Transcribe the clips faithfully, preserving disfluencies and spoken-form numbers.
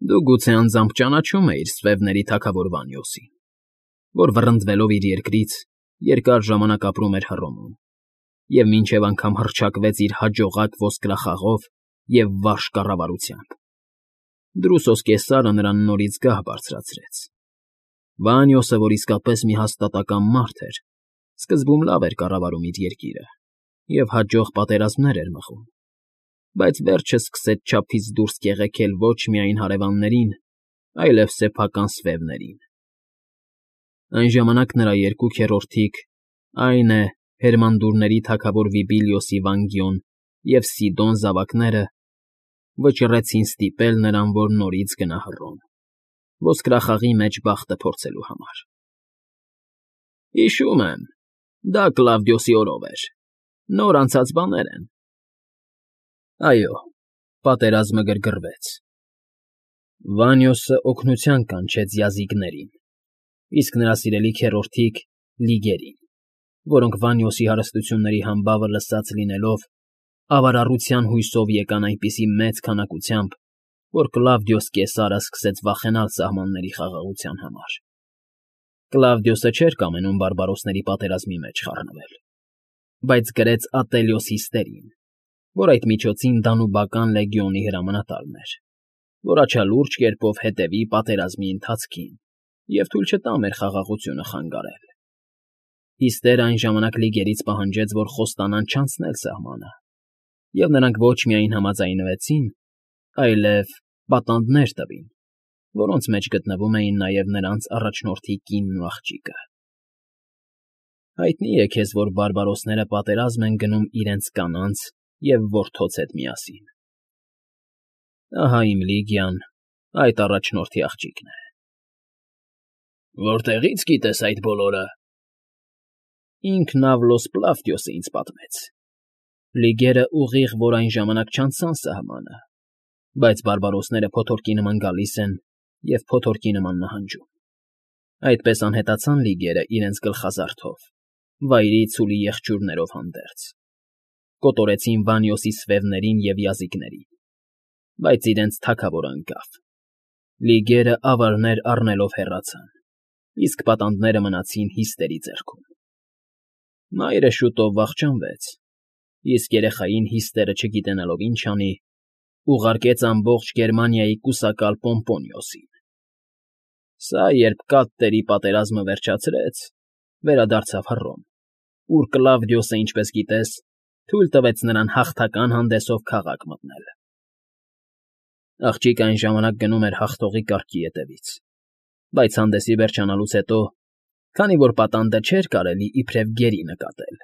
Դու գուցե անձամբ ճանաչում էիր Սվևների թագավոր Վանյոսին, որ վռնդվելով իր երկրից երկար ժամանակ ապրում էր Հռոմում և մինչև անգամ հռչակվեց իր հաջողակ ոսկրախաղով և վարժ կառավարությամբ. Դրուսոս Կեսարը նրան նորից գահ բարձրացրեց։ Վանյոսը, որ իսկապես մի հաստատակամ մարդ էր, սկզբում լավ էր կառավարում իր երկիրը և հաջող պատերազմներ էր մղում, բայց վերջը սկսեց չափից դուրս կեղեքել ոչ միայն հարևաններին, այլև սեփական սվևներին։ Այն ժամանակ նրա երկու քեռորդիկ, այն է, հերմանդուրների թագավոր Վիբիլիոսի Վանգիոն և Սիդոն զավակները, վճռեցին ստիպել նրան, որ նորից գնա Հռոմ, ոսկրախաղի մեջ բախտը փորձելու համար։ Հիշում եմ, դա Կլավդիոսի օրով էր, նոր անցած բաներ են։ Այո, պատերազմը գրգռվեց։ Վանյոսը օգնության կանչեց յազիգներին, իսկ նրա սիրելի քեռորդիկ՝ լիգերին, որոնք Վանյոսի հարստությունների համբավը լսած լինելով, ավարառության հույսով եկան այնպիսի մեծ քանակությամբ, որ Կլավդիոս Կեսարը սկսեց վախենալ սահմանների խաղաղության համար։ Կլավդիոսը չէր կամենում բարբարոսների պատերազմի մեջ խառնվել, բայց գրեց Ատելյոս Հիստերին, որ այդ միջոցին Դանուբական լեգիոնի հրամանատարն էր, որ աչալուրջ կերպով հետևի պատերազմի ընթացքին և թույլ չտա մեր խաղաղությունը խանգարել։ Հիստերն այն ժամանակ լիգերից պահանջեց, որ խոստանան չանցնել սահմանը, և նրանք ոչ միայն համաձայնվեցին, այլև պատանդներ տվին, որոնց մեջ գտնվում էին նաև նրանց առաջնորդի կինն ու աղջիկը։ Հայտնի է քեզ, որ բարբարոսները պատերազմ են գնում իրենց կանանց և որդոց հետ միասին։ Ահա իմ Լիգիան այդ առաջնորդի աղջիկն է։ Որտեղի՞ց գիտես այդ բոլորը։ Ինքն Ավլոս Պլավդիոսը ինձ պատմեց։ Լիգերը ուղիղ որ այն ժամանակ չանցան սահմանը, բայց բարբարոսները փոթորկի նման գալիս են և փոթորկի նման նահանջում։ Այդպես անհետացան լիգերը իրենց գլխազարդով, վայրի ցուլի եղջյուրներով հանդերձ, կոտորեցին Վանյոսի սվևներին և յազիկներին, բայց իրենց թագավորը ընկավ։ Լիգերը ավարներ առնելով հեռացան, իսկ պատանդները մնացին Հիստերի ձեռքում։ Մայրը շուտով վախճանվեց, իսկ երեխային Հիստերը չգիտենալով ինչ անի, ուղարկեց ամբողջ Գերմանիայի կուսակալ Պոմպոնիոսին։ Սա, երբ Կատտերի պատերազմը վերջացրեց, վերադարձավ Հռոմ, ուր Կլավդիոսը, ինչպես գիտես, թույլ տվեց նրան հաղթական հանդեսով քաղաք մտնել։ Աղջիկը այն ժամանակ գնում էր հաղթողի կառքի ետևից, բայց հանդեսի վերջանալուց հետո, քանի որ պատանդը չէր կարելի իբրև գերի նկատել,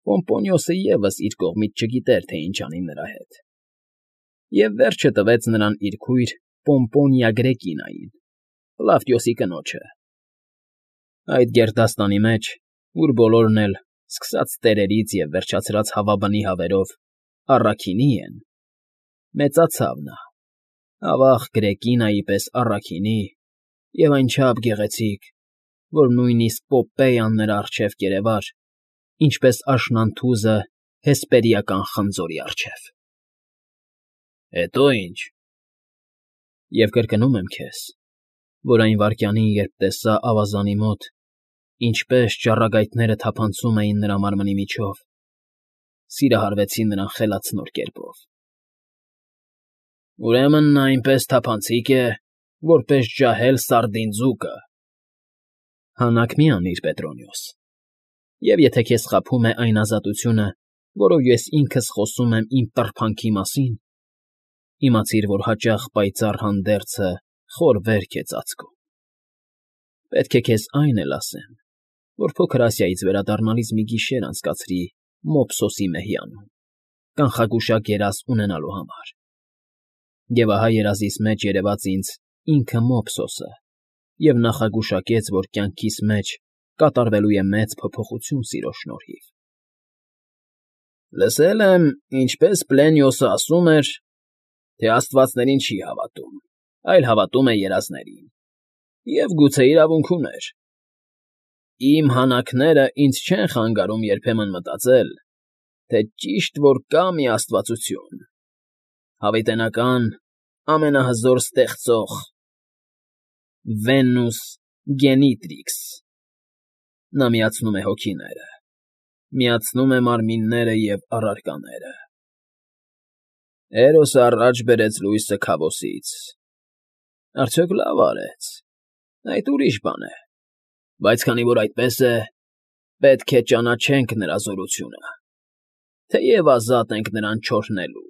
Պոմպոնիոսը ևս իր կողմից չգիտեր, թե ինչ անի նրա հետ, և վերջը տվեց նրան իր քույր Պոմպոնիա Գրեկինային, Կլավդիոսի կնոջը։ Այդ գերդաստանի մեջ, ուր բոլորն էլ, սկսած տերերից և վերջացրած հավաբնի հավերով, առաքինի են, մեծացավ նա, ավաղ Գրեկինայի պես առաքինի և այնչափ գեղեցիկ, որ նույնիսկ Պոպեյան նրա առջև կերևար, ինչպես աշնանթուզը հեսպերիական խնձորի առջև։ Հետո ի՞նչ։ Եվ կրկնում եմ քեզ, որ այն վայրկյանին, երբ տեսա ավազանի մոտ, ինչպես ճառագայթները թափանցում էին նրա մարմնի միջով, սիրահարվեցի նրան խելացնոր կերպով։ Ուրեմն նա այնպես թափանցիկ է, որպես ջահել սարդին ձուկը։ Հանաք մի անիր, Պետրոնիոս, և եթե քեզ խաբում է այն ազատությունը, որով ես ինքս խոսում եմ իմ տրբանքի մասին, իմացիր, որ հաճախ պայծառ հանդերձը խոր վերք է ծածկում։ Պետք է քեզ այն էլ ասեմ, որ Փոքր Ասիայից վերադառնալիս մի գիշեր անցկացրի Մոփսոսի մեհյանում, կանխագուշակ երազ ունենալու համար։ Եվ ահա երազիս մեջ երևաց ինձ ինքը Մոփսոսը և նախագուշակեց, որ կյանքիս մեջ կատարվելու է մեծ փոփոխություն սիրո շնորհիվ։ Լսել եմ, ինչպես Պլենիոսը ասում էր, թե աստվածներին չի հավատում, այլ հավատում է երազներին, և գուցե իրավունք ուներ։ Իմ հանակները ինձ չեն խանգարում երբեմն մտածել, թե ճիշտ որ կա մի աստվածություն, հավիտենական, ամենահզոր ստեղծող, Վենուս Գենիտրիքս։ Նա միացնում է հոգիները, միացնում է մարմինները և առարկաները։ Էրոսը առաջ բերեց լույսը քաբոսից, արդյոք լավ արեց, այդ ուրիշ բան է, բայց քանի որ այդպես է, պետք է ճանաչենք նրա զորությունը, թեև ազատ ենք նրան չօրհնելու։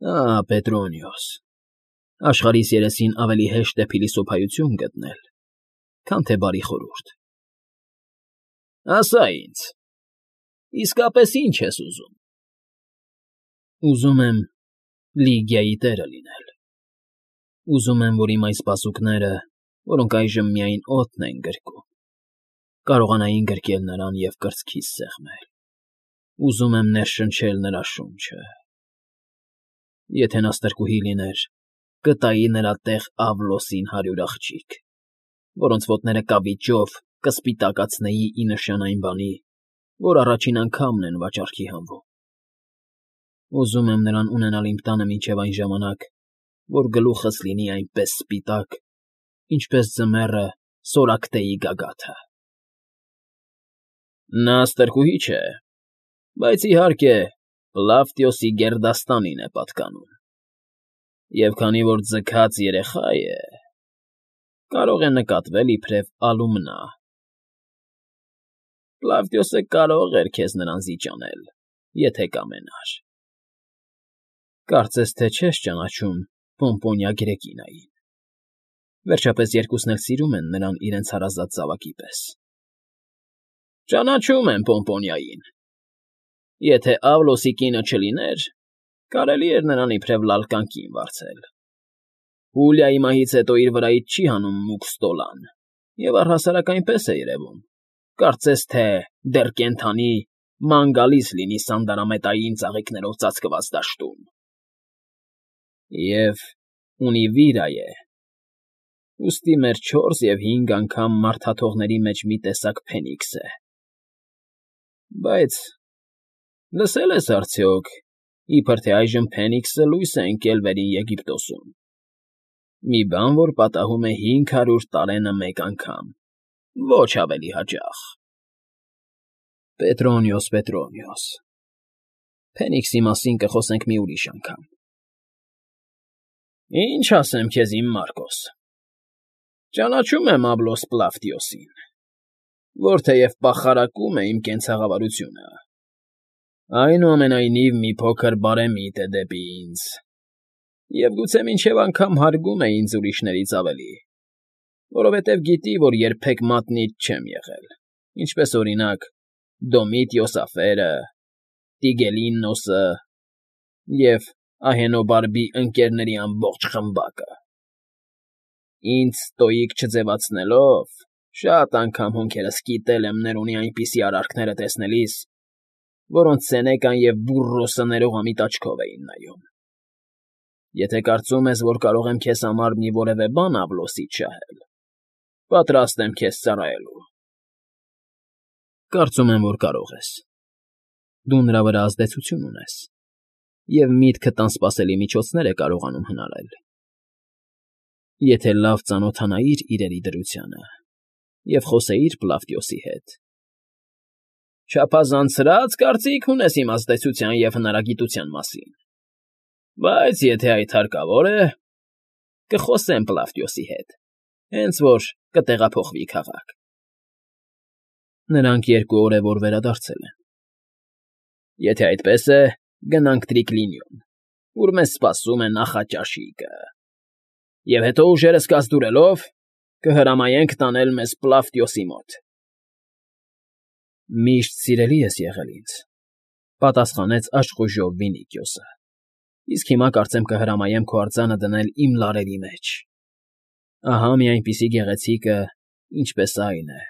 Ահ, Պետրոնիոս, աշխարհիս երեսին ավելի հեշտ է փիլիսոփայություն գտնել, քան թե բարի խորհուրդ։ Ասա ինձ, իսկապես ի՞նչ ես ուզում։ Ուզում եմ Լիգիայի տերը լինել։ Ուզում եմ, որ իմ այս բազուկները, որոնք այժմ միայն օդն են գրկում, կարողանային գրկել նրան և կրծքիս սեղմել։ Ուզում եմ ներշնչել նրա շունչը։ Եթե նա ստրկուհի լիներ, կտայի նրա տեղ Ավլոսին հարյուր աղջիկ, որոնց ոտները կավիճով կսպիտակացնեի ի նշան այն բանի, որ առաջին անգամն են վաճառքի հանվում։ Ուզում եմ նրան ունենալ իմ տանը մինչև այն ժամանակ, որ գլուխս լինի այնպես սպիտակ, ինչպես ձմեռը Սորակտեի գագաթը։ Նա ստրկուհի չէ, բայց, իհարկե, Պլավտիոսի գերդաստանին է պատկանում, և քանի որ ձգած երեխա է, կարող է նկատվել իբրև ալումնա։ Պլավտիոսը կարող էր քեզ նրան զիջանել, եթե կամենար։ Կարծես թե չես ճանաչում Պոմպոնիա Գրեկինային, վերջապես երկուսն էլ սիրում են նրան իրենց հարազատ զավակի պես։ Ճանաչում եմ Պոմպոնիային։ Եթե Ավլոսի կինը չլիներ, կարելի էր նրան իբրև լալկան կին վարձել։ Հուլիայի մահից հետո իր վրայից չի հանում մուգ ստոլան, և առհասարակ այնպես է երևում, կարծես թե դեռ կենդանի ման գալիս լինի սանդարամետային ծաղիկներով ծածկված դաշտում։ Եվ ունի վիրայ է, ուստի մեր չորս և հինգ անգամ մարդաթողների մեջ մի տեսակ փենիքս է։ Բայց լսե՞լ ես արդյոք, իբր թե այժմ Փենիքսը լույս է ընկել Վերին Եգիպտոսում, մի բան, որ պատահում է հինգ հարյուր տարենը մեկ անգամ, ոչ ավելի հաճախ։ Պետրոնիոս, Պետրոնիոս, Փենիքսի մասին կխոսենք մի ուրիշ անգամ։ Ինչ ասեմ քեզ, իմ Մարկոս, ճանաչում եմ Աբլոս Պլավտիոսին, որ թեև պախարակում է իմ կենցաղավարությունը, այնուամենայնիվ մի փոքր բարեմիտ է դեպի ինձ, և գուցե մինչև անգամ հարգում է ինձ ուրիշներից ավելի, որովհետև գիտի, որ երբեք մատնիչ չեմ եղել, ինչպես, օրինակ, Դոմիտիոս Աֆերը, Տիգելիննոսը և Ահենոբարբի ընկերների ամբողջ խմբակը։ Ինձ ստոիկ չձևացնելով, շատ անգամ հոնքերս կիտել եմ Ներոնի այնպիսի արարքները տեսնելիս, որոնց Սենեկան և Բուրրոսը ներողամիտ աչքով էին նայում։ Եթե կարծում ես, որ կարող եմ քեզ համար մի որևէ բան Ավլոսից շահել, պատրաստ եմ քեզ ծառայելու։ Կարծում եմ, որ կարող ես։ Դու նրա վրա ազդեցություն ունես, և միտքդ անսպասելի միջոցներ է կարողանում հնարել։ Եթե լավ ծանոթանայիր իրերի դրությանը և խոսեիր Պլավտիոսի հետ։ Չափազանցրած կարծիք ունես իմ ազդեցության և հնարագիտության մասին, բայց եթե այդ հարկավոր է, կխոսեմ Պլավտիոսի հետ, հենց որ կտեղափոխվի քաղաք։ Նրանք երկու օր է, որ վերադարձել են։ Եթե այդպես է, գնանք Տրիկլինիոն, ուր մեզ սպասում է նախաճաշիկը, և հետո ուժերս կազդուրելով կհրամայենք տանել մեզ Պլավտիոսի մոտ։ Միշտ սիրելի ես եղել ինձ, պատասխանեց աշխուժով Վինիքիոսը, իսկ հիմա կարծեմ կհրամայեմ քո արձանը դնել իմ լարերի մեջ։ Ահա մի այնպիսի գեղեցիկը, ինչպես այն է,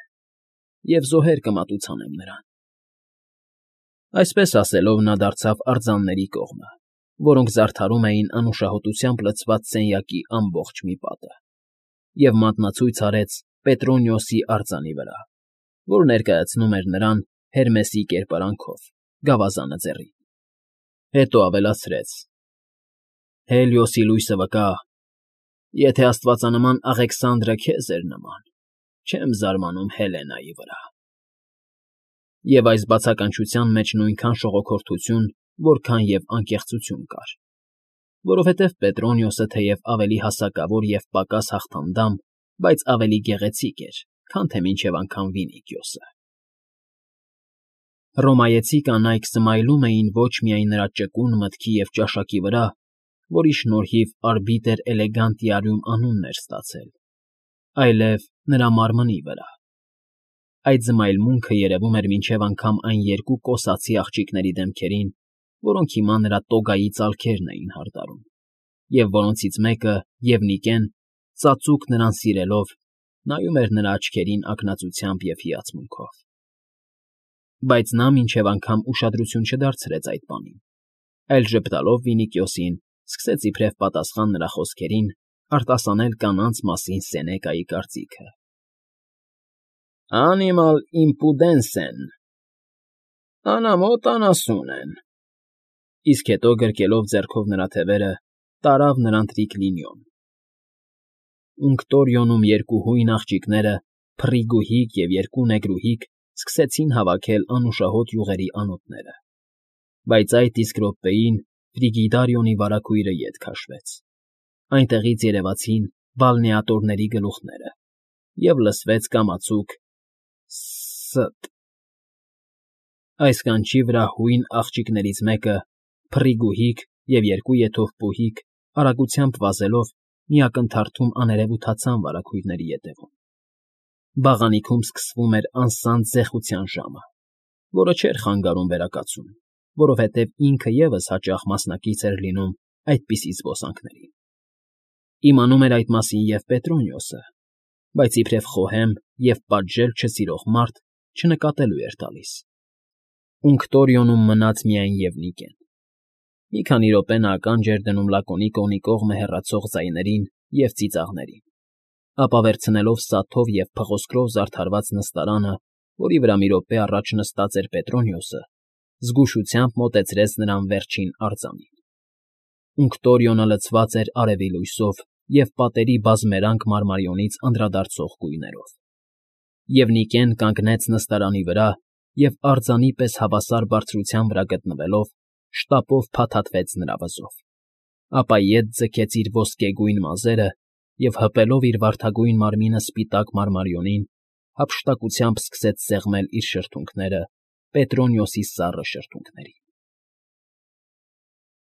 և զոհեր կմատուցանեմ նրան։ Այսպես ասելով նա դարձավ արձանների կողմը, որոնք զարդարում էին անուշահոտությամբ լցված սենյակի ամբողջ մի պատը, և մատնացույց արեց Պետրոնիոսի արձանի վրա, որ ներկայացնում էր նրան Հերմեսի կերպարանքով, գավազանը ձեռին։ Հետո ավելացրեց. Հելիոսի լույսը վկա, եթե աստվածանման Աղեքսանդրը քեզ էր նման, չեմ զարմանում Հելենայի վրա։ Եվ այս բացականչության մեջ նույնքան շողոքորթություն, որքան և անկեղծություն կար, որովհետև Պետրոնիոսը թեև ավելի հասակավոր և պակաս հաղթանդամ, բայց ավելի գեղեցիկ էր, քան թե մինչև անգամ Վինիքիոսը։ Հռոմայեցի կանայք սմայլում էին ոչ միայն նրա ճկուն մտքի և ճաշակի վրա, որի շնորհիվ արբիտր էլեգանտիարիում անունն էր ստացել, այլև նրա մարմնի վրա։ Այդ զմայլմունքը երևում էր մինչև անգամ այն երկու կոսացի աղջիկների դեմքերին, որոնք հիմա նրա տոգայի ծալքերն էին հարդարում, և որոնցից մեկը, Եվնիկեն, ծածուկ նրան սիրելով, նայում էր նրա աչքերին ակնածությամբ և հիացմունքով։ Բայց նա մինչև անգամ ուշադրություն չդարձրեց այդ բանին, այլ ժպտալով Վինիքիոսին, սկսեց իբրև պատասխան նրա խոսքերին արտասանել կանանց մասին Սենեկայի կարծիքը. «Animal impudens են, անամոթ անասուն են», իսկ հետո գրկելով ձեռքով նրա թևերը, տարավ նրան տրիկլինիոն։ Ունկտորիոնում երկու հույն աղջիկները, Փռիգուհիկ և երկու նեգրուհիկ, սկսեցին հավաքել անուշահոտ յուղերի անոթները, բայց այդ իսկ րոպեին Ֆրիգիդարիոնի վարագույրը ետ քաշվեց, այնտեղից երևացին բալնեատորների գլուխները, և լսվեց կամացուկ «ս֊ս֊ս»։ Այս կանչի վրա հույն աղջիկներից մեկը, Փռիգուհիկ և երկու եթով պուհիկ, արագությամբ վազելով մի ակնթարթում աներևութացան վարագույրների ետևում։ Բաղանիքում սկսվում էր անսանձ զեղության ժամը, որը չէր խանգարում վերակացուն, որովհետև ինքը ևս հաճախ մասնակից էր լինում այդպիսի զբոսանքներին։ Իմանում էր այդ մասին և Պետրոնիոսը, բայց իբրև խոհեմ և պատժել չսիրող մարդ չնկատելու էր տալիս։ Ունկտորիոնում մնաց միայն Եվնիկեն։ Մի քանի րոպե նա ականջ էր դնում Լակոնիկոնի կողմը հեռացող ձայներին և ծիծաղներին, ապա վերցնելով սաթով և փղոսկրով զարդարված նստարանը, որի վրա մի րոպե առաջ նստած էր Պետրոնիոսը, զգուշությամբ մոտեցրեց նրան վերջին արձանին։ Ունկտորիոնը լցված էր արևի լույսով և պատերի բազմերանգ մարմարիոնից անդրադարձող գույներով։ Եվնիկեն կանգնեց նստարանի վրա և արձանի պես հավասար բարձրության վրա գտնվելով, շտապով փաթաթվեց նրա վզով, ապա ետ ձգեց իր ոսկեգույն մազերը և, հպելով իր վարդագույն մարմինը սպիտակ մարմարիոնին, հափշտակությամբ սկսեց սեղմել իր շրթունքները Պետրոնիոսի սառը շրթունքներին։